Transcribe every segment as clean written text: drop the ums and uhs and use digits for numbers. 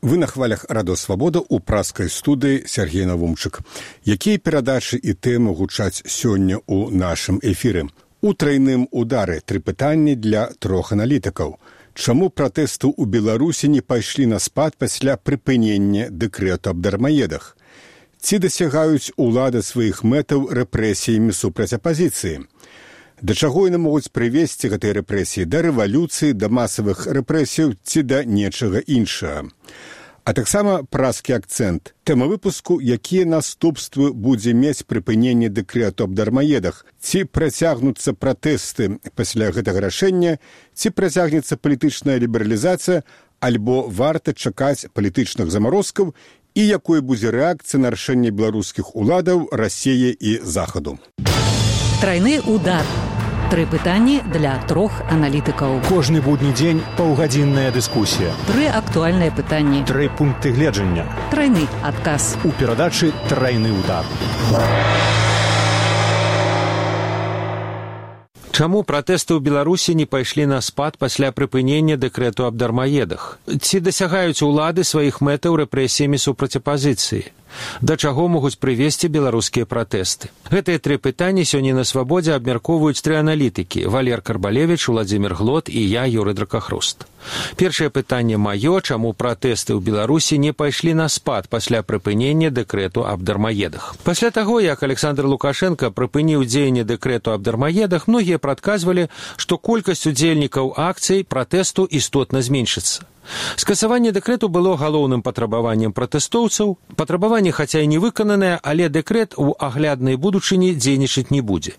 Вы на хвалях Радо Свабода ў праскай студыі Сергей Навумчык. Якія перадачы і тэмы гучаць сёння ў нашым эфіры? У трайным удары 3 пытанні для 3 аналітыкаў. Чаму пратэсты ў Беларусі не пайшлі на спад пасля прыпынення дэкрэту аб дармаедах? Ці дасягаюць улады сваіх мэтаў рэпрэсіямі супраць апазіцыі? Да чаго яны могуць прывесці гэтыя рэпрэсіі? Да рэвалюцыі, да масавых рэпрэсіяў ці да нечага іншага? А таксама праскі акцэнт. Тэма выпуску, якія наступствы будзе мець прыпыненне дэкрэту аб дармаедах. Ці працягнуцца пратэсты пасля гэтага рашэння, ці працягнецца палітычная лібералізацыя, альбо варта чакаць палітычных замарозкаў, і якой будзе рэакцыя на рашэнне беларускіх уладаў, Расіі і Захаду. Трайны удар. 3 пытанні для 3 аналітыкаў. Кожны будні дзень паўгадзінная дыскусія. 3 актуальныя пытанні. 3 пункты гледжання. Трайны адказ. У перадачы «Трайны удар». Чаму пратэсты ў Беларусі не пайшлі на спад пасля прыпынення дэкрэту аб дармаедах? Ці дасягаюць улады сваіх мэтаў рэпрэсіямі супраць апазіцыі? Да чаго могуць прывесці беларускія пратэсты? Гэтыя 3 пытанні сёння на Свабодзе абмяркоўваюць 3 аналітыкі: Валер Карбалевіч, Уладзімір Глот і я, Юрый Дракахруст. Першае пытанне маё: чаму пратэсты ў Беларусі не пайшлі на спад пасля прыпынення дэкрэту аб дармаедах? Пасля таго, як Александр Лукашенко прыпыніў дзеянне дэкрэту аб дармаедах, многія прадказвалі, што колькасць удзельнікаў акцый пратэсту істотна зменшыцца. Скасаванне дэкрэту было галоўным патрабаваннем пратэстоўцаў. Патрабаванне, хаця і не выкананае, але дэкрэт у агляднай будучыні дзейнічаць не будзе.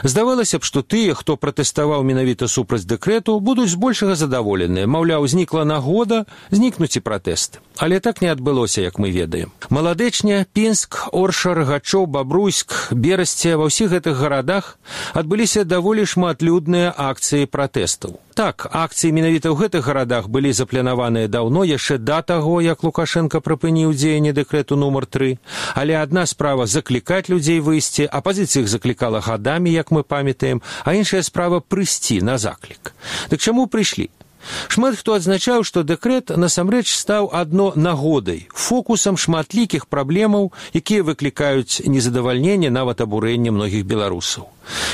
Здавалася б, што тыя, хто пратэставаў менавіта супраць дэкрэту, будуць збольшага задаволеныя. Маўляў, знікла нагода, знікнуць і пратэст. Але так не адбылося, як мы ведаем. Маладэчня, Пінск, Орша, Рагачоў, Бабруйск, Берасце – ва ўсіх гэтых гарадах адбыліся даволі шматлюдныя акцыі пратэстаў. Так, акцыі менавіта ў гэтых гарадах былі запланаваныя даўно, яшчэ да таго, як Лукашенко прыпыніў дзеянне дэкрэту нумар 3. Але адна справа заклікаць людзей выйсці, апазіцыя іх заклікала гадамі, як мы памятаем, а іншая справа прыйсці на заклік. Дык чаму прыйшлі? Шмат хто адзначаў, што дэкрэт насамрэч стаў адно нагодай, фокусам шматлікіх праблемаў, якія выклікаюць незадавальненне, нават абурэнне многіх беларусаў.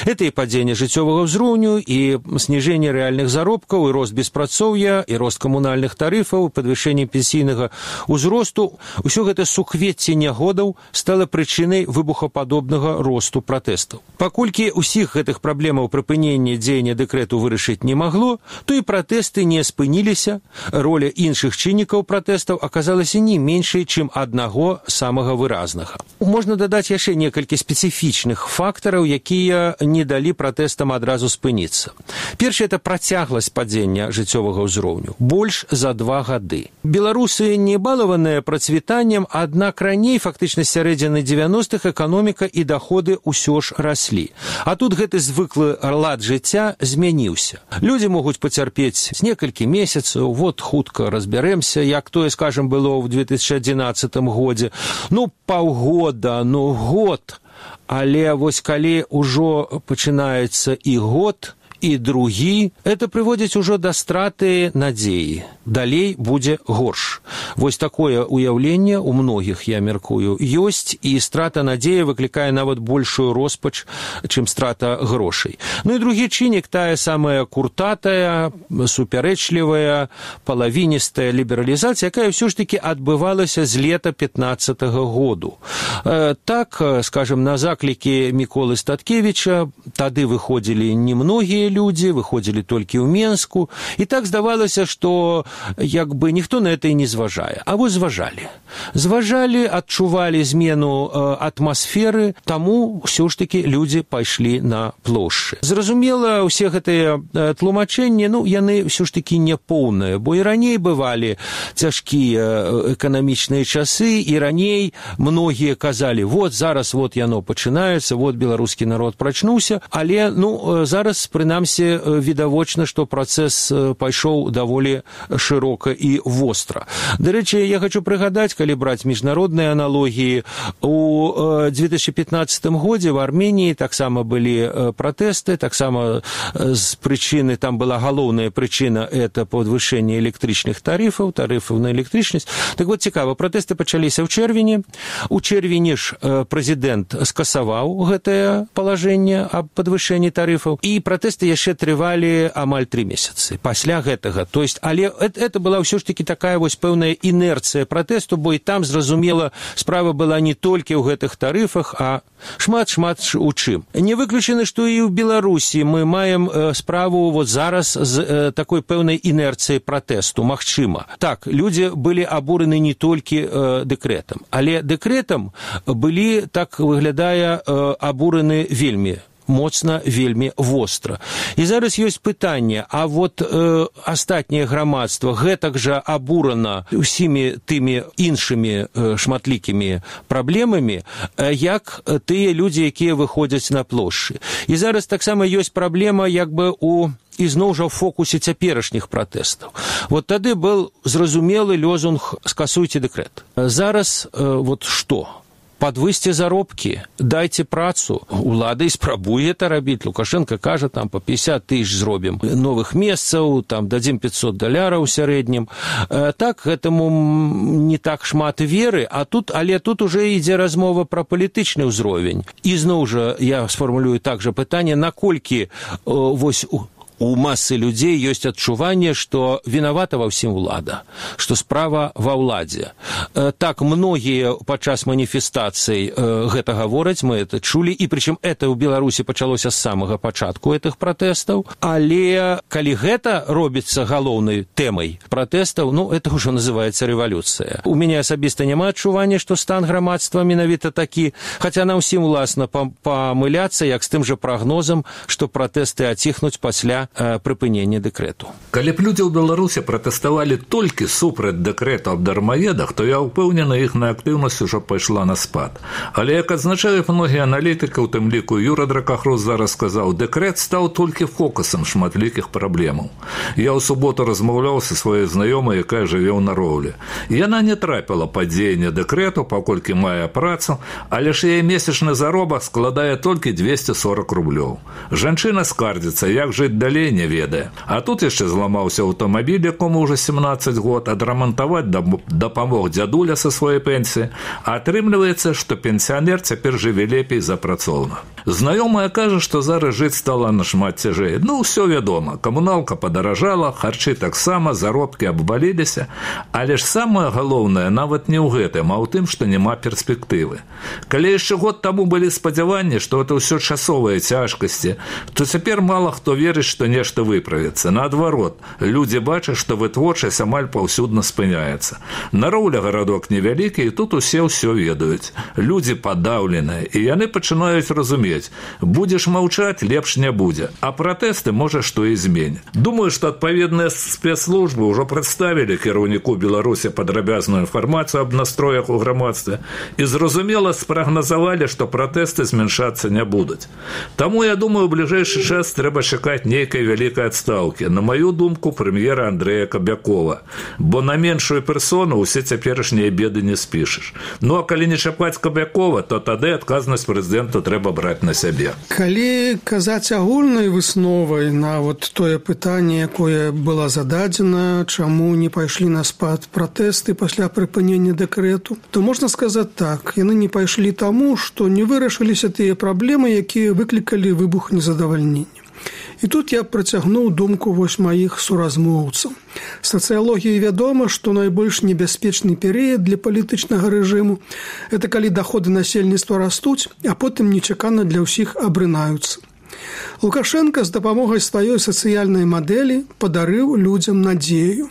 Это і падзенне жыццёвага ўзроўню, і сніжэнне рэальных заробкаў, і рост беспрацоўя, і рост камунальных тарыфаў, падвышэнне пенсійнага ўзросту. Усё гэта суквецце нягодаў стала прычынай выбухападобнага росту пратэстаў. Паколькі ўсіх гэтых праблемаў прыпынення дзеяння дэкрэту вырашыць не магло, то і пратэсты не спыніліся, роля іншых чыннікаў пратэстаў аказалася не меншай, чым аднаго самага выразнага. Можна дадаць яшчэ некалькі спецыфічных фактараў, якія не далі пратэстам адразу спыніцца. Першае – это працягласць падзення жыццёвага ўзроўню. Больш за 2 гады. Беларусы не балаваныя працвітаннем, аднак раней, фактычна з сярэдзіны 90-х, эканоміка і даходы ўсё ж раслі. А тут гэты звыклы лад жыцця змяніўся. Людзі могуць пацярпець некалькі месяцаў, вот хутка разбярэмся, як тое, скажем, было ў 2011 годзе. Паўгода, год. Але вось калі ўжо пачынаецца і год, і другі, это прыводзіць ужо да страты надзеі. Далей будзе горш. Вось такое ўяўленне у многіх, я мяркую, ёсць, і страта надзеі выклікае нават большую роспач, чым страта грошай. І другі чыннік, тая самая куртатая, супярэчлівая, палавіністая лібералізацыя, якая ўсё ж такі адбывалася з лета 15-го году. Так, скажем, на заклікі Міколы Статкевіча тады выходзілі немногія людзі, выходзілі толькі ў Менску, і так здавалася, што як бы ніхто на это і не зважае. А вось зважалі. Зважалі, адчувалі змену атмасферы, таму ўсё ж такі людзі пайшлі на плошчы. Зразумела, усе гэтыя тлумачэнні, яны ўсё ж такі няпоўныя, бо і раней бывалі цяжкія эканамічныя часы, і раней многія казалі, вот зараз вот яно пачынаецца, вот беларускі народ прачнуўся, але зараз, прынамсі, прынамсі відавочна, што працэс пайшоў даволі шырока і востра. Дарэчы, я хочу прыгадаць, калі браць міжнародныя аналогіі, у 2015 годзе в Армении таксама былі пратэсты, таксама з прычыны, там была галоўная прычына, это падвышэнне электрычных тарыфаў на электрычнасць. Так вот, цікава, пратэсты пачаліся ў чэрвені. У чэрвені ж прэзідэнт скасаваў гэтае палажэнне аб падвышэнні тарыфаў, і пратэсты яшчэ трывалі амаль 3 месяцы пасля гэтага. То есть, але это была ўсё ж таки такая вось пэўная інерцыя пратэсту, бо і там, зразумела, справа была не толькі ў гэтых тарыфах, а шмат у чым. Не выключана, што і ў Беларусі мы маем справу вот зараз з такой пэўнай інерцыяй пратэсту, магчыма. Так, людзі былі абураны не толькі дэкрэтам, але дэкрэтам былі, так выглядае, абураны вельмі моцна, вельмі востра. І зараз ёсць пытанне, а вот астатняе грамадства гэтак жа абурана ўсімі тымі іншымі шматлікімі праблемамі, як тыя людзі, якія выходзяць на плошчы. І зараз таксама ёсць праблема як бы ізноў жа ў фокусе цяперашніх пратэстаў. Вот тады был зразумелы лозунг «Скасуйте дэкрэт». Зараз вот што? Подвысьте заробкі, дайце працу. Улада і спрабуе это рабіць. Лукашенко кажа, там по 50 тысяч зробім новых месцаў, там дадзім $500 ў сярэднім. Так, гэтаму не так шмат веры, але тут уже ідзе размова пра палітычны ўзровень. І зноў жа я сфармулюю так жа пытанне, наколькі вось у масы людзей ёсць адчуванне, што вінавата ва ўсім улада, што справа ва ўладзе. Так, многія падчас маніфестацый гэта гавораць, мы это чулі, і прычым это ў Беларусі пачалося з самага пачатку гэтых пратэстаў, але калі гэта робіцца галоўнай тэмай пратэстаў, это ўжо называецца рэвалюцыя. У мяне асабіста няма адчування, што стан грамадства менавіта такі, хаця нам усім уласна памыляцца, як з тым жа прагнозам, што пратэсты аціхнуць пасля прыпынення дэкрэту. Калі б людзі ў Беларусі пратэставалі толькі супраць дэкрэту аб дармаедах, то я ўпэўнены, іхная актыўнасць ужо пайшла на спад. Але, як адзначаюць многія аналітыкі, у тым ліку Юра Дракахрус зараз сказаў, дэкрэт стаў толькі фокусам шматлікіх праблемаў. Я ў суботу размаўляў са сваёй знаёмай, якая жыве ў Нароўлі. Яна не трапіла пад дзеянне дэкрэту, паколькі мае працу, але ж яе месячны заробак складае толькі 240 рублёў. Жанчына скардзіцца, як жыць далей не ведае. А тут яшчэ зламаўся аўтамабіль, якому ўжо 17 год, адрамантаваць дапамог дзядуля са сваёй пенсіі, а атрымліваецца, што пенсіянер цяпер жыве лепей за працоўна. Знаёмая кажа, што зараз жыць стала нашмат цяжэй. Ўсё вядома, камуналка падаражала, харчы таксама, заробкі абваліліся, але ж самае галоўнае нават не ў гэтым, а ў тым, што няма перспектывы. Калі яшчэ год таму былі спадзяванні, што это ўсё часовыя цяжкасці, то цяпер мала хто верыць, што нешта выправіцца. Наадварот, людзі бачаць, што вытворчасць амаль паўсюдна спыняецца. Нароўля гарадок невялікі, і тут усе ўсё ведаюць. Людзі падаўленыя, і яны пачынаюць разумець, будзеш маўчаць, лепш не будзе. А пратэсты, можа, што і зменя. Думаю, што адпаведныя спецслужбы ўжо прадставілі кіраўніку Беларусі падрабязную інфармацыю аб настроях у грамадстве і зразумела спрагназавалі, што пратэсты змяншацца не будуць. Таму, я думаю, у бліжэйшы час трэба чакаць нейкай вялікай адстаўкі. На маю думку, прэм'ера Андрэя Кабякова. Бо на меншую персону ўсе цяперашнія беды не спішаш. А калі не чапаць Кабякова, то тады адказнасць прэзідэнту трэба браць на сябе. Калі казаць агульнай высновай на тое пытанне, якое было зададзена, чаму не пайшлі на спад пратэсты пасля прыпынення дэкрэту, то можна сказаць так, яны не пайшлі таму, што не вырашыліся тыя праблемы, якія выклікалі выбух незадавальнення. І тут я працягнуў думку маіх суразмоўцаў. Сацыялогіі вядома, што найбольш небяспечны перыяд для палітычнага рэжыму – это калі даходы насельніцтва растуць, а потым нечакана для ўсіх абрынаюцца. Лукашенко з дапамогай сваёй сацыяльнай мадэлі падарыў людзям надзею.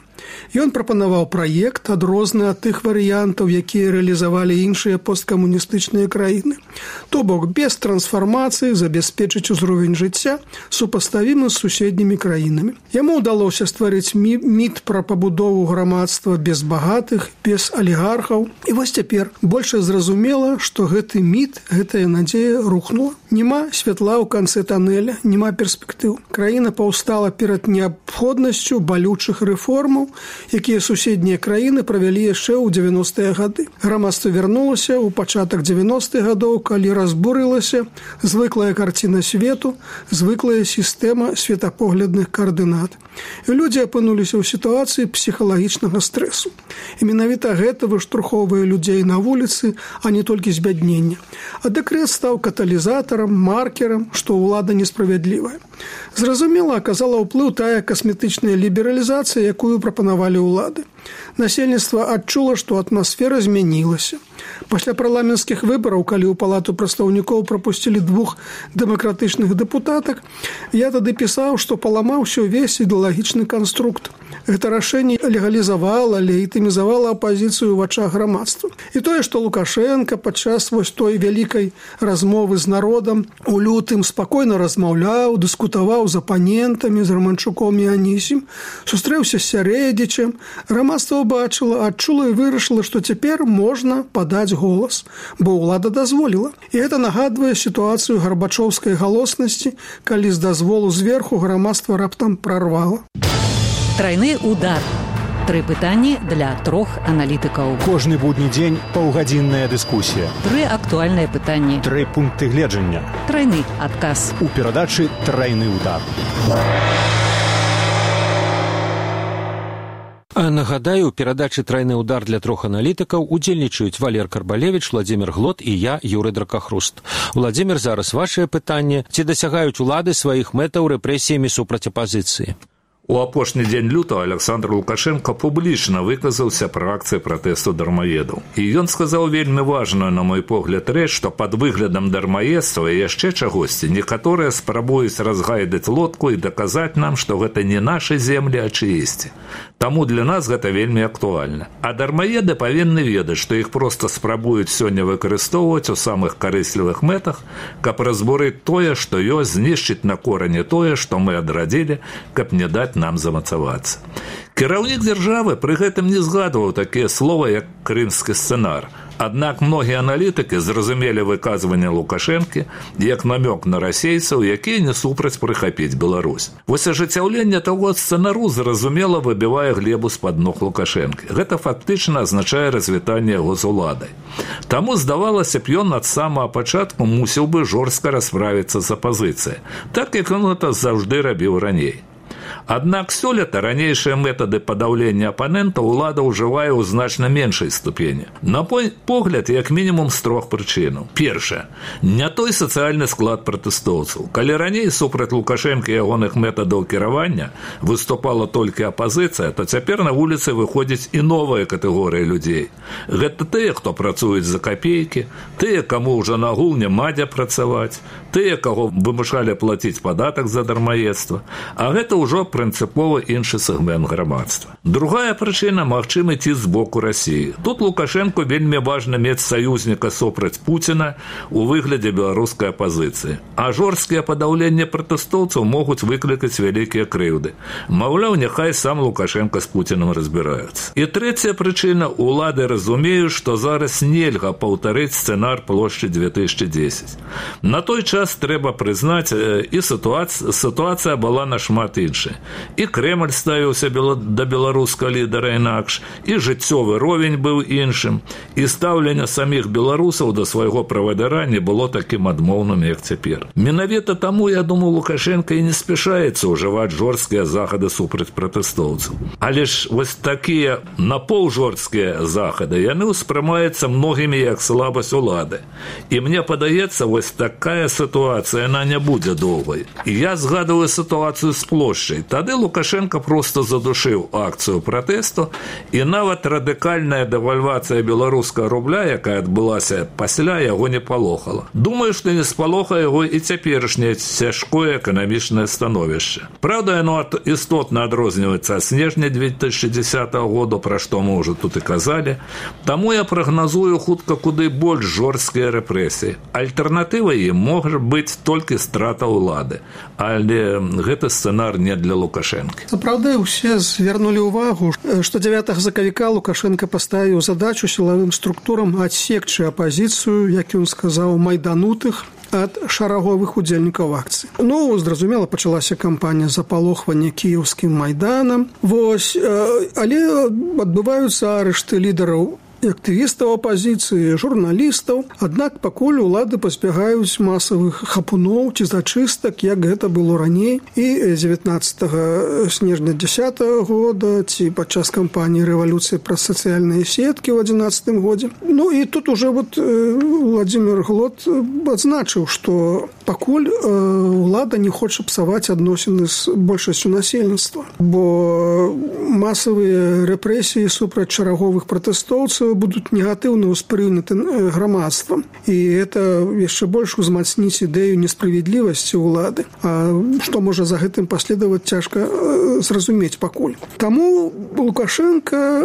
Ён прапанаваў праект, адрозны ад тых варыянтаў, якія рэалізавалі іншыя посткамуністычныя краіны. То бок, без трансфармацыі забяспечыць узровень жыцця, супаставімы з суседнімі краінамі. Яму ўдалося стварыць міт пра пабудову грамадства без багатых, без алігархаў. І вось цяпер больш зразумела, што гэты міт, гэтая надзея рухнула. Няма святла ў канцы танеля, няма перспектыў. Краіна паўстала перад неабходнасцю балючых рэформаў, якія суседнія краіны правялі яшчэ ў 90-е гады. Грамадства вярнулася ў пачатак 90-х гадоў, калі разбурылася звыклая карціна свету, звыклая сістэма светапоглядных каардынат. І людзі апынуліся ў сітуацыі псіхалагічнага стрэсу. І менавіта гэта выштурхоўвае людзей на вуліцы, а не толькі збяднення. А дэкрэт стаў каталізатарам, маркерам, што ўлада несправядлівая. Зразумела, аказала ўплыў тая касметычная лібералізацыя, якую прапанавалі ўлады. Насельніцтва адчула, што атмасфера змянілася. Пасля парламенцкіх выбараў, калі ў палату прадстаўнікоў прапусцілі 2 дэмакратычных дэпутатак, я тады пісаў, што паламаўся ўвесь ідэалагічны канструкт. Гэта рашэнне легалізавала, легітымізавала апазіцыю ў вачах грамадства. І тое, што Лукашенка падчас вось той вялікай размовы з народам у лютым спакойна размаўляў, дыскутаваў з апанентамі, з Романчуком і Анісім, сустрэўся з Сярэдзічам, грамадства ўбачыла, адчула і вырашыла, што цяпер можна падаць голас, бо ўлада дазволіла. І гэта нагадвае сітуацыю гарбачоўскай галоснасці, калі з дазволу зверху грамадства раптам прарвала. Трайны удар. 3 пытанні для 3 аналітыкаў. Кожны будні дзень паўгадзінная дыскусія. 3 актуальныя пытанні. 3 пункты гледжання. Трайны адказ. У перадачы «Трайны удар». А нагадаю, у перадачы «Трайны удар» для 3 аналітыкаў удзельнічаюць Валер Карбалевіч, Владзімір Глот і я, Юрый Дракахруст. Владзімір, зараз вашае пытанне. Ці дасягаюць улады сваіх мэтаў рэпрэсіямі супраць апазіцыі? У апошні дзень лютага Александр Лукашенко публічна выказаўся пра акцыі пратэсту дармаедаў. І ён сказаў вельмі важную, на мой погляд, рэч, што пад выглядам дармаедства і яшчэ чагосьці некаторыя спрабуюць разгайдаць лодку і даказаць нам, што гэта не нашы землі, а чыесьці. Таму для нас гэта вельмі актуальна. А дармаеды павінны ведаць, што іх проста спрабуюць сёння выкарыстоўваць у самых карыслівых мэтах, каб разбурыць тое, што ёсць, знішчыць на корані тое, што мы адрадзілі, каб не даць нам замацавацца. Кіраўнік дзяржавы пры гэтым не згадваў такія слова, як крымскі сцэнар. Аднак многія аналітыкі зразумелі выказванне Лукашэнкі як намёк на расейцаў, якія не супраць прыхапіць Беларусь. Вось ажыццяўленне таго сцэнару зразумела выбівае глебу з-пад ног Лукашэнкі. Гэта фактычна азначае развітанне яго з уладай. Таму здавалася б, ён ад самага пачатку мусіў бы жорстка расправіцца з апазіцыяй, так як ён гэта заўжды рабіў раней. Аднак сёлета ранейшыя метады падаўлення апанента ўлада ўжывае ў значна меншай ступені. На мой погляд, як мінімум з 3 прычынаў. Першае, не той сацыяльны склад пратэстоўцаў. Калі раней супраць Лукашэнкі і ягоных метадаў кіравання выступала толькі апазіцыя, то цяпер на вуліцы выходзіць і новая катэгорыя людзей. Гэта тыя, хто працуюць за капейкі, тыя, каму ўжо нагул няма дзе працаваць, тыя, каго вымушалі плаціць падатак за дармаедства, а гэта ўжо прынцыпова іншы сегмент грамадства. Другая прычына – магчымы ціск з боку Расіі. Тут Лукашэнку вельмі важна мець саюзніка супраць Пуціна у выглядзе беларускай апазіцыі. А жорсткія падаўленні пратэстоўцаў могуць выклікаць вялікія крыўды. Маўляў, няхай сам Лукашенко з Пуцінам разбіраюцца. І трэцяя прычына – улады разумеюць, што зараз нельга паўтарыць сцэнар плошчы 2010. На той час трэба прызнаць, і сітуацыя была нашмат іншая. І Крэмль ставіўся да беларускага лідара інакш, і жыццёвы ровень быў іншым, і стаўленне саміх беларусаў да свайго правадыра не было такім адмоўным, як цяпер. Менавіта таму, я думаю, Лукашенко і не спяшаецца ўжываць жорсткія захады супраць пратэстоўцаў. Але ж вось такія напаўжорсткія захады, яны ўспрымаюцца многімі як слабасць улады. І мне падаецца, вось такая сітуацыя ситуацыя, яна не будзе доўгай. І я згадываю сітуацыю з плошчай. Тады Лукашенко просто задушыў акцыю пратэсту, і нават радыкальная дэвальвацыя беларускага рубля, якая адбылася пасля, яго не палохала. Думаю, што не спалохае яго і цяперашняе цяжкое эканамічнае становішча. Праўда, яно істотна адрозніваецца ад снежня 2010 года, пра што мы ўжо тут і казалі. Таму я прагназую хутка куды больш жорсткія рэпрэсіі. Альтэрнатыва ім можа быць толькі страта ўлады. Але гэты сцэнар не для Лукашэнкі. Праўда, усе звернулі ўвагу, што 9 сакавіка Лукашенко паставіў задачу сілавым структурам адсекчы апазіцыю, як ён сказаў, майданутых ад шараговых удзельнікаў акцыі. Ну, зразумела, пачалася кампанія запалохвання кіеўскім майданам. Але адбываюцца арышты лідараў і актывістаў апазіцыі, журналістаў. Аднак пакуль улады пазбягаюць масавых хапуноў ці зачыстак, як гэта было раней. І 19 снежня 10 года, ці падчас кампаніі рэвалюцыі праз сацыяльныя сеткі ў 11 годзе. Ну і тут уже Владимир Глот адзначыў, што пакуль улада не хоча псаваць адносіны з большасцю насельніцтва, бо масавыя рэпрэсіі супраць шараговых пратэстоўцаў будуць негатыўна ўспрыняты грамадствам. І гэта яшчэ больш узмацніць ідэю несправядлівасці ўлады. А што можа за гэтым паследаваць, цяжка зразумець пакуль. Таму Лукашенко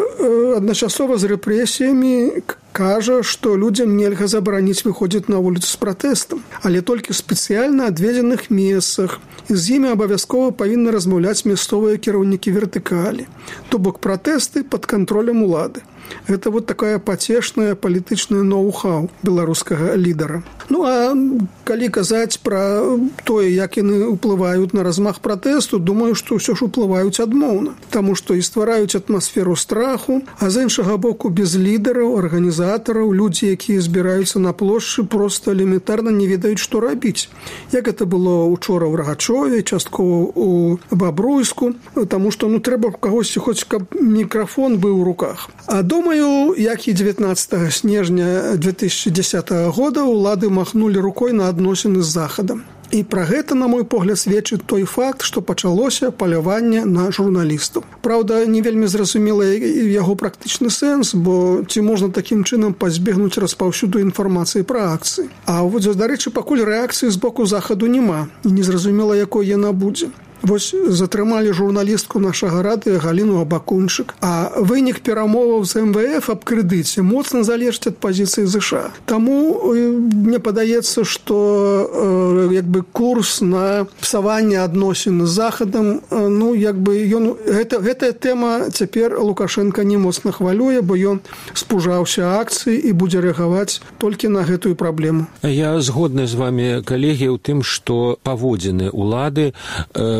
адначасова з рэпрэсіямі кажа, што людзям нельга забараніць выходзіць на вуліцу з пратэстам, але толькі ў спецыяльна адведзеных месцах. І з імі абавязкова павінны размаўляць мясцовыя кіраўнікі вертыкалі. То бок пратэсты пад кантролем улады. Гэта такая пацешная палітычная ноу-хау беларускага лідара. Ну, а калі казаць пра тое, як яны ўплываюць на размах пратэсту, думаю, што ўсё ж уплываюць адмоўна. Таму што і ствараюць атмасферу страху, а з іншага боку без лідараў, арганізатараў, людзі, якія збіраюцца на плошчы, проста элементарна не ведаюць, што рабіць. Як гэта было учора ў Рагачове, часткова ў Бабруйску, таму што трэба кагосьці хоць каб мікрафон быў у руках. А думаю, як і 19 снежня 2010 года улады махнулі рукой на адносіны з Захадам. І пра гэта, на мой погляд, сведчыць той факт, што пачалося паляванне на журналістаў. Праўда, не вельмі зразумела яго практычны сэнс, бо ці можна такім чынам пазбегнуць распаўсюду інфармацыі пра акцыі. А дарэчы, пакуль рэакцыі з боку Захаду няма, і незразумела, якой яна будзе. Затрымалі журналістку нашага радыё Галіну Абакунчык, а вынік перамоваў з МВФ аб крэдыце моцна залежыць ад пазіцыі ЗША. Таму мне падаецца, што курс на псаванне адносін з Захадам, гэтая тэма цяпер Лукашенка не моцна хвалюе, бо ён спужаўся акцыі і будзе рэагаваць толькі на гэтую праблему. Я згодны з вами, калегі, у тым, што паводзіны улады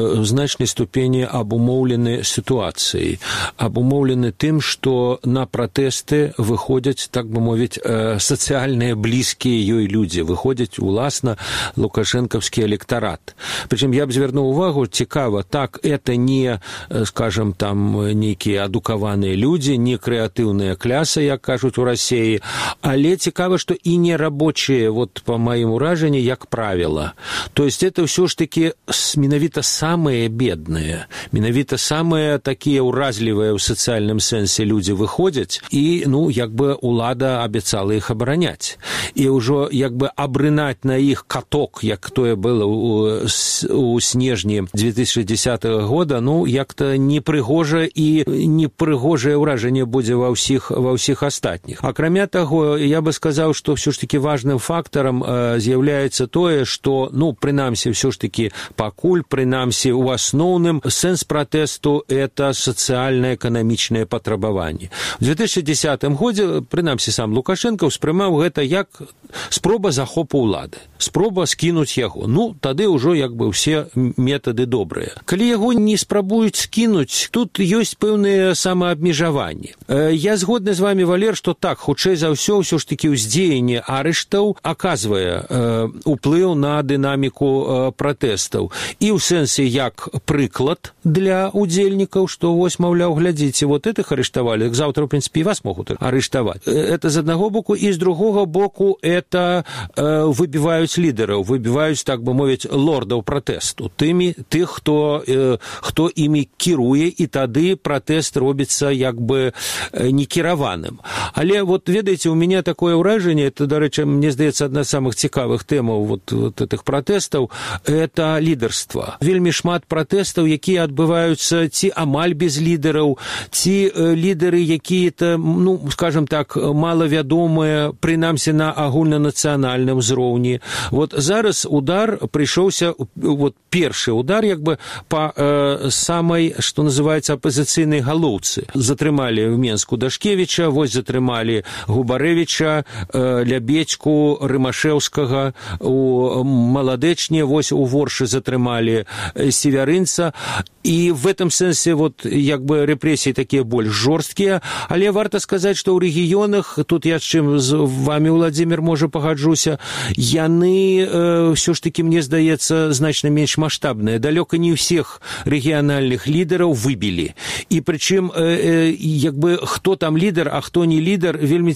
в значнай ступені абумоўлены сітуацыяй, абумоўлены тым, што на пратэсты выходзяць, так бы мовіць, сацыяльныя блізкія ёй людзі, выходзяць уласна лукашэнкаўскі электарат. Прычым я б звярнуў увагу, цікава, так, это не, скажем, там нейкія адукаваныя людзі, не крэатыўная кляса, як кажуць у Расіі, але цікава, што і не рабочыя, па маім уражанні, як правіла. То есть это ўсё ж такі менавіта самые бедные, менавіта самые такія ўразлівыя ў сацыяльным сэнсе людзі выходзяць, і, улада абяцала іх абараняць. І ўжо, абрынаць на іх каток, як тое было у снежні 2010 года, як-то непрыгожа і непрыгожае ўражанне будзе ва ўсіх астатніх. Акрамя таго, я бы сказаў, што ўсё ж такі важным фактарам з'яўляецца тое, што, прынамсі, ўсё ж такі пакуль, прынамсі, у асноўным сэнс пратэсту – это сацыяльна-эканамічнае патрабаванне. У 2010 годзе, прынамсі, сам Лукашенко ўспрымаў гэта як спроба захопу ўлады, спроба скінуць яго. Тады ўжо ўсе метады добрыя. Калі яго не спрабуюць скінуць, тут ёсць пэўныя самаабмежаванні. Я згодны з вами, Валер, што так, хутчэй за ўсё ж такі ўздзеянне арыштаў аказвае ўплыў на дынаміку пратэстаў. І ў сэнсе як прыклад для удзельнікаў, што вось, маўляў, глядзіце, вот этих арыштавалі, заўтра, в прынцыпе, і вас могуць арыштаваць. Это з аднаго боку, і з другога боку это выбіваюць лідараў, выбіваюць, так бы мовіць, лордаў пратэсту, тых, хто імі кіруе, і тады пратэст робіцца як бы некіраваным. Але вот, ведаеце, у мяне такое ўражанне, это, дарэчы, мне здаецца, адна з самых цікавых тэмаў вот этих пратэстаў, это лідарства. Вельмі шмат пратэстаў, якія адбываюцца ці амаль без лідараў, ці лідары якія-то, ну, скажем так, малавядомыя, прынамсі на агульнанацыянальным узроўні. Вот зараз удар прыйшоўся, вот першы удар, як бы па самай, што называецца, апазіцыйнай галоўцы. Затрымалі в Менску Дашкевіча, вось затрымалі Губарэвіча, Лябедзьку, Рымашэўскага, у Маладэчне, вось у Воршы затрымалі Севярынца. І в этом сэнсе вот як бы рэпрэсіі такія больш жорсткія, але варта сказаць, што ў рэгіёнах, тут я з чым з вами, Владзімір, можа пагаджуся, яны ўсё ж такі, мне здаецца, значна менш маштабныя. Далёка не ўсіх рэгіянальных лідараў выбілі. І прычым, як бы, хто там лідар, а хто не лідар, вельмі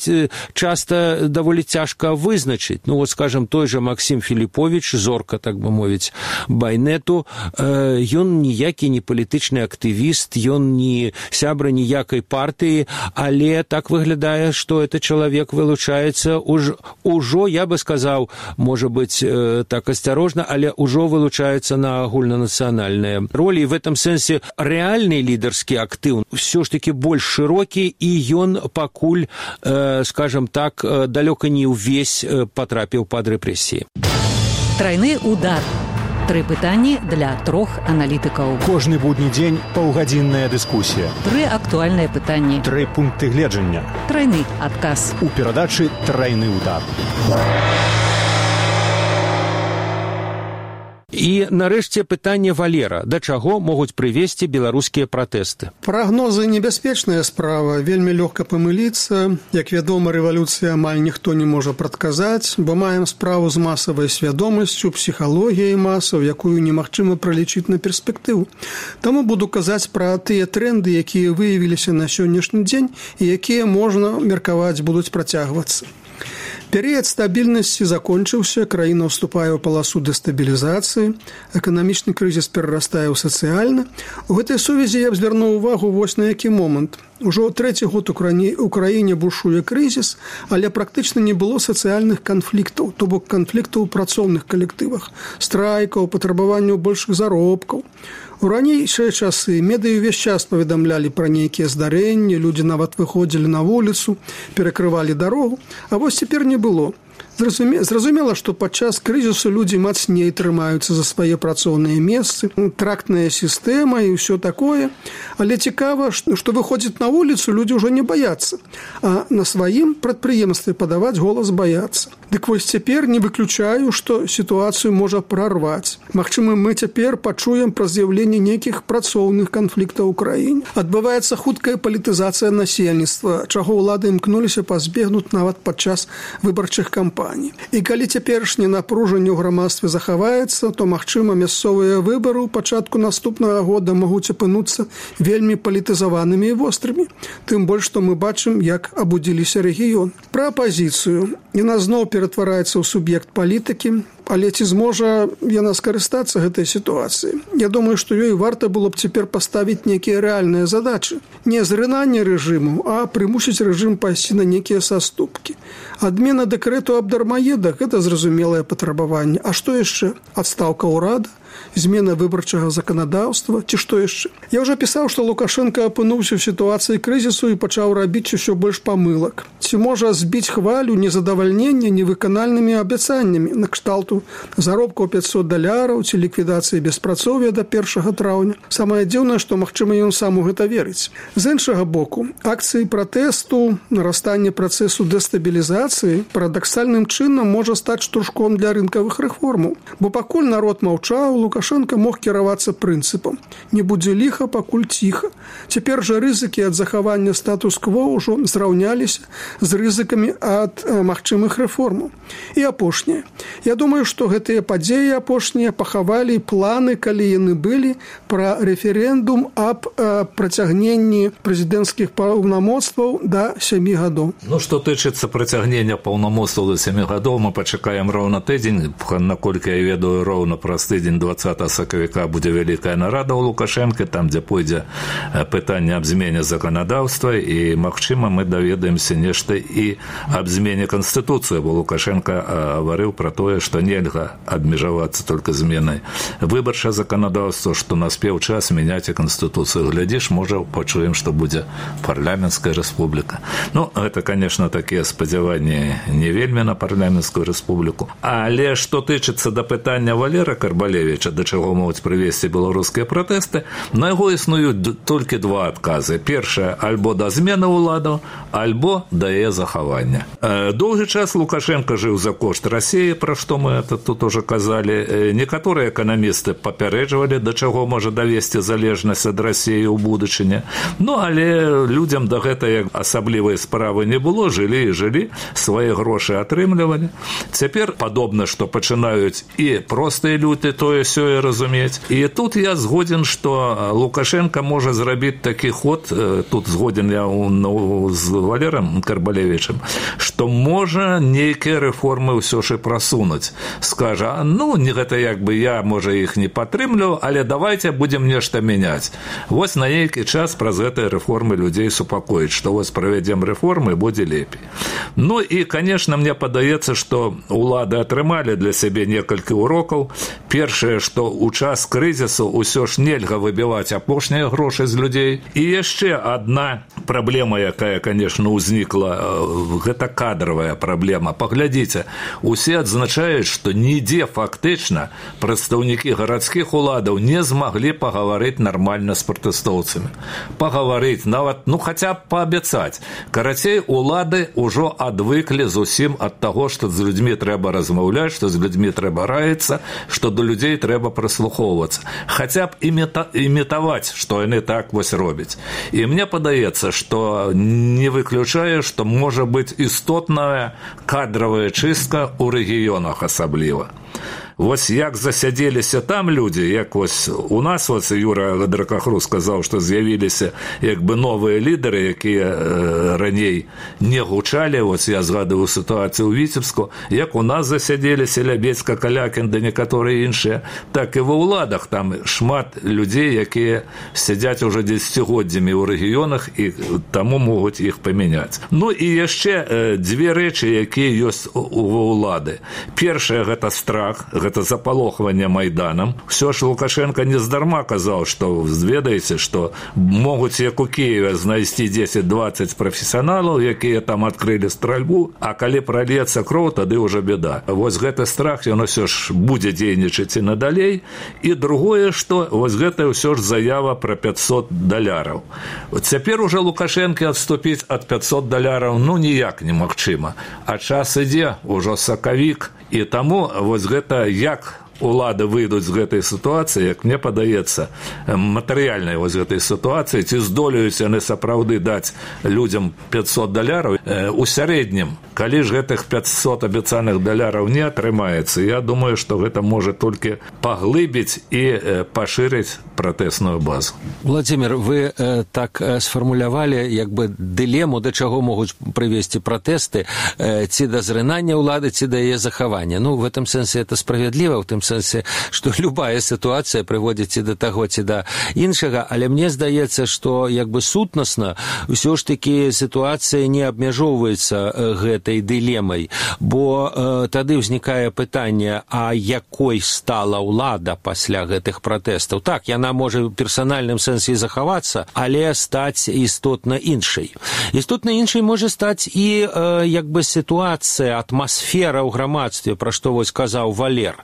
часта даволі цяжка вызначыць. Ну, вот, скажем, той же Максім Філіповіч, зорка, так бы мовіць, байнету, ён ніякі не палітычны актывіст, ён не сябра ніякай партыі, але так выглядае, што это чалавек вылучаецца ужо, я бы сказаў, можа быць, так асцярожна, але ўжо вылучаецца на агульнанацыянальныя ролі. І в этом сэнсе рэальны лідарскі актыў ўсё ж такі больш шырокі, і ён пакуль, скажем так, далёка не ўвесь патрапіў пад рэпрэсіі. Трайны удар. 3 пытанні для 3 аналітыкаў. Кожны будні дзень паўгадзінная дыскусія. 3 актуальныя пытанні. 3 пункты гледжання. Трайны адказ. У перадачы «Трайны удар». І, нарэшце, пытанне Валера. Да чаго могуць прывесці беларускія пратэсты? Прагнозы небяспечная справа, вельмі лёгка памыліцца. Як вядома, рэвалюцыя амаль ніхто не можа прадказаць, бо маем справу з масавай свядомасцю, псіхалогіяй масаў, якую немагчыма пралічыць на перспектыву. Таму буду казаць пра тыя тренды, якія выявіліся на сённяшні дзень і якія, можна меркаваць, будуць працягвацца. Перыяд стабільнасці закончыўся, краіна ўступае ў паласу дэстабілізацыі, эканамічны крызіс перарастае ў сацыяльны. У гэтай сувязі я б звярнуў увагу вось на які момант. Ужо 3-й год у краіне бушуе крызіс, але практычна не было сацыяльных канфліктаў, то бок канфліктаў у працоўных калектывах, страйкаў, патрабаванняў большых заробкаў. У ранейшыя часы медыі ўвесь час паведамлялі пра нейкія здарэнні, людзі нават выходзілі на вуліцу, перакрывалі дарогу, а вось цяпер не было. Зразумела, што падчас крызісу людзі мацней трымаюцца за свае працоўныя месцы, трактная сістэма і ўсё такое, але цікава, што выходзіць на вуліцу людзі ўжо не баяцца, а на сваім прадпрыемстве падаваць голас баяцца. Дык вось цяпер не выключаю, што сітуацыю можа прарваць. Магчыма, мы цяпер пачуем пра з'яўленне нейкіх працоўных канфліктаў у краіне. Адбываецца хуткая палітызацыя насельніцтва, чаго ўлады імкнуліся пазбегнуць нават падчас выбарчых кампаній. І калі цяперашняе напружанне ў грамадстве захаваецца, то, магчыма, мясцовыя выбары ў пачатку наступнага года могуць апынуцца вельмі палітызаванымі і вострымі. Тым больш, што мы бачым, як абудзіліся рэгіёны. Пра апазіцыю. Яна зноў ператвараецца ў суб'ект палітыкі, але ці зможа яна скарыстацца гэтай сітуацыяй? Я думаю, што ёй варта было б цяпер паставіць нейкія рэальныя задачы. Не зрынанне рэжыму, а прымусіць рэжым пайсці на нейкія саступкі. Адмена дэкрэту аб дармаедах – гэта зразумелае патрабаванне. А што яшчэ? Адстаўка ўрада? Змена выбарчага заканадаўства, ці што яшчэ? Я ўжо пісаў, што Лукашенко апынуўся ў сітуацыі крызісу і пачаў рабіць усё больш памылак. Ці можа збіць хвалю незадавальнення невыканальнымі абяцаннямі на кшталту заробкаў $500 ці ліквідацыі беспрацоўя да 1 траўня. Самае дзіўнае, што, магчыма, ён сам у гэта верыць. З іншага боку, акцыі пратэсту, нарастанне працэсу дэстабілізацыі парадаксальным чынам можа стаць штуршком для рынкавых рэформаў. Бо пакуль народ маўчаў, Лукашенко мог кіравацца прынцыпам: не будзе ліха, пакуль ціха. Цяпер жа рызыкі ад захавання статус-кво ўжо зраўняліся з рызыкамі ад магчымых рэформаў. І апошняе. Я думаю, што гэтыя падзеі апошнія пахавалі планы, калі яны былі, пра рэферэндум аб працягненні прэзідэнцкіх паўнамоцтваў да 7 гадоў. Ну, што тычыцца працягнення паўнамоцтваў да 7 гадоў, мы пачакаем роўна тыдзень, наколькі я ведаю, роўна праз тыдзень 20 сакавіка будзе вялікая нарада ў Лукашэнка, там, дзе пойдзе пытанне аб змене заканадаўства, і, магчыма, мы даведаемся нешта і аб змене Канстытуцыі, бо Лукашенко гаварыў пра тое, што нельга абмежавацца толькі зменай выбарчага заканадаўства, што наспеў час мяняць і Канстытуцыю. Глядзіш, можа, пачуем, што будзе парламенцкая рэспубліка. Ну, гэта, конечно, такія спадзяванні не вельмі на парламенцкую рэспубліку. Але што тычыцца да пытання Валера Карбалевіча, да чаго могуць прывесці беларускія пратэсты, на яго існуюць толькі два адказы. Першае, альбо да змены ўладаў, альбо да яе захавання. Доўгі час Лукашенко жыў за кошт Расіі, пра што мы тут уже казалі. Некаторыя эканамісты папярэджвалі, да чаго можа давесці залежнасць ад Расіі ў будучыні. Ну, але людзям да гэтае асаблівай справы не было, жылі і жылі, свае грошы атрымлівалі. Цяпер падобна, што пачынаюць і простыя люди тое-сёе разумець. І тут я згоден, што Лукашенко можа зрабіць такі ход, тут згоден я з Валером Карбалевічем, што можа нейкія рэформы ўсё ж і прасунуць. Скажа, ну, гэта як бы я, можа, іх не падтрымлю, але давайте будем нешта мяняць. Вось на нейкі час праз гэтыя рэформы людзей супакоіць, што вось правядзем рэформы, будзе лепей. Ну і, конечно, мне падаецца, што улады атрымалі для сябе некалькі урокаў. Першае, што ў час крызісу ўсё ж нельга выбіваць апошнія грошы з людзей. І яшчэ адна праблема, якая, конечно, узнікла, гэта кадравая праблема. Паглядзіце, усе адзначаюць, што нідзе фактычна прадстаўнікі гарадскіх уладаў не змаглі пагаварыць нармальна з пратэстоўцамі. Пагаварыць, нават, ну, хаця б паабяцаць. Карацей, улады ўжо адвыклі зусім ад таго, што з людзьмі трэба размаўляць, што з людзьмі трэба раіцца, што до людзей трэба прыслухоўвацца. Хаця б імітаваць, што яны так вось робяць. І мне падаецца, што не выключае, што можа быць істотная кадравая чыстка ў рэгіёнах асабліва. Вось як засядзеліся там людзі, як вось у нас, вось Юра Дракахру сказаў, што з'явіліся як бы новыя лідары, якія раней не гучалі, вось я згадываю сітуацыю ў Віцебску, як у нас засядзеліся Лябедзька, Калякін, да некаторыя іншыя, так і ва ўладах там шмат людзей, якія сядзяць уже дзесяцігоддзямі ў рэгіёнах і таму могуць іх памяняць. Ну і яшчэ дзве рэчы, якія ёсць ва ўлады. Першае, гэта страх, гэта запалохванне Майданам. Всё ж Лукашенко не здарма казаў, што ведаеце, што могуць як у Киеве знайсці 10-20 прафесіяналаў, якія там адкрылі стральбу, а калі прольецца кроў, тады ўжо беда. Вось гэты страх, ён усё ж будзе дзейнічаць і надалей. І другое, што вось гэта ўсё ж заява пра $500. Цяпер уже Лукашенко адступіць ад $500 ну ніяк немагчыма. А час ідзе, ужо сакавік, і таму вось гэта як улады выйдуць з гэтай сітуацыі, як мне падаецца, матэрыяльнай вось гэтай сітуацыі, ці здолеюць яны сапраўды даць людзям $500, у сярэднім, калі ж гэтых $500 абяцаных не атрымаецца, я думаю, што гэта можа толькі паглыбіць і пашырыць пратэсную базу. Владимир, вы так сфармулявалі як бы дылему, да чаго могуць прывесці пратэсты, ці да зрынання ўлады, ці да яе захавання. Ну, в этом сэнсе это справядліва, в тым сэнсе, што любая сітуацыя прыводзіць ці да таго, ці да іншага, але мне здаецца, што як бы сутнасна ўсё ж такі сітуацыя не абмяжоўваецца гэтай дылемай, бо тады ўзнікае пытанне, а якой стала ўлада пасля гэтых пратэстаў. Так, яна можа ў персанальным сэнсе захавацца, але стаць істотна іншай. Істотна іншай можа стаць і як бы сітуацыя, атмасфера ў грамадстве, пра што вось казаў Валер.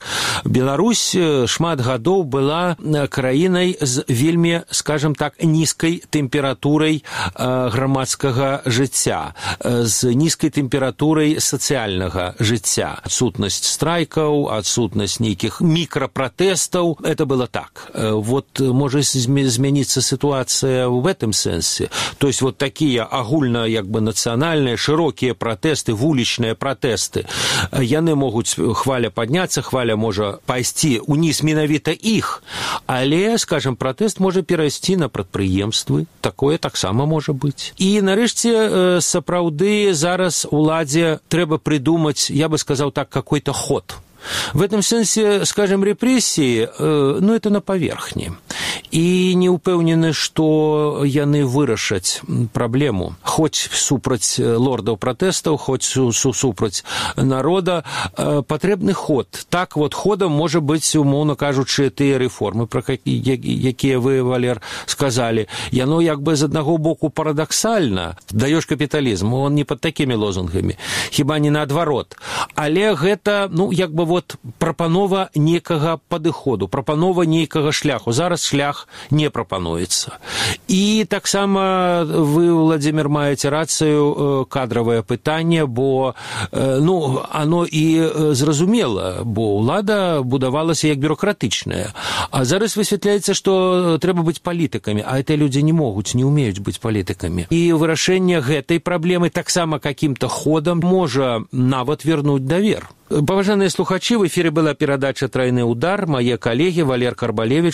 Беларусь шмат гадоў была краінай з вельмі, скажем так, нізкай тэмпературай грамадскага жыцця, з нізкай тэмпературай сацыяльнага жыцця. Адсутнасць страйкаў, адсутнасць нейкіх мікрапратэстаў. Это было так. Вот можа змяніцца ситуация в этом сенсе. То есть вот такие агульно нацыянальныя шырокія пратэсты, вулічныя пратэсты, яны могуць хваля падняцца, хваля можа пайсці уніз менавіта іх, але, скажем, пратэст можа перайсці на прадпрыемствы, такое таксама можа быць. І нарэшце сапраўды зараз уладзе трэба придумаць, я бы сказаў так, какой-то ход. В этом сенсе, скажем, репрессии, это на поверхне. І не ўпэўнены, што яны вырашаць праблему. Хоць супраць лордаў пратэстаў, хоць супраць народа, патрэбны ход. Так вот ходам можа быць, умоўна кажучы, тыя рэформы, пра якія вы, Валер, сказалі. Яно з аднаго боку парадаксальна. Даёш капіталізм, он не пад такімі лозунгамі. Хіба не наадварот. Але гэта, прапанова нейкага падыходу, прапанова нейкага шляху. Зараз шлях не прапануецца. І таксама вы, Владимир, маеце рацыю, кадравае пытанне, бо оно і зразумела, бо ўлада будавалася як бюрократычная. А зараз высвятляецца, што трэба быць палітыкамі, а гэтыя людзі не могуць, не умеюць быць палітыкамі. І вырашэнне гэтай праблемы таксама каким-то ходам можа нават вернуць давер. Паважаныя слухачы, в эфире была перадача «Тройны удар». Мае калегі Валер Карбалевич